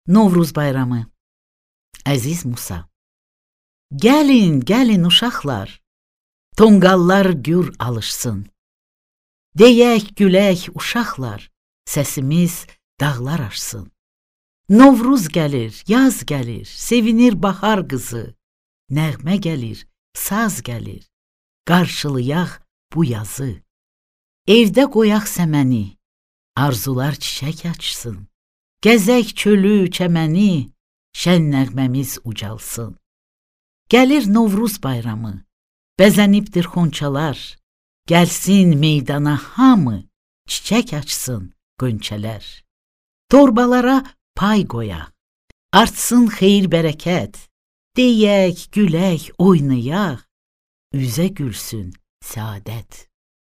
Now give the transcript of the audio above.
Novruz bayramı. Əziz Musa. Gəlin, gəlin uşaqlar, tonqallar gür alışsın. Deyək, gülək uşaqlar, səsimiz dağlar aşsın. Novruz gəlir, yaz gəlir, sevinir bahar qızı. Nəğmə gəlir, saz gəlir, qarşılayaq bu yazı. Evdə qoyaq səməni, arzular çiçək açsın. Gəzək çölü, çəməni, şən nəğməmiz ucalsın. Gəlir Novruz bayramı, bəzənibdir xonçalar. Gəlsin meydana hamı, çiçək açsın qönçələr. Torbalara pay qoyaq, artsın xeyir bərəkət. Deyək, gülək, oynayaq, üzə gülsün səadət.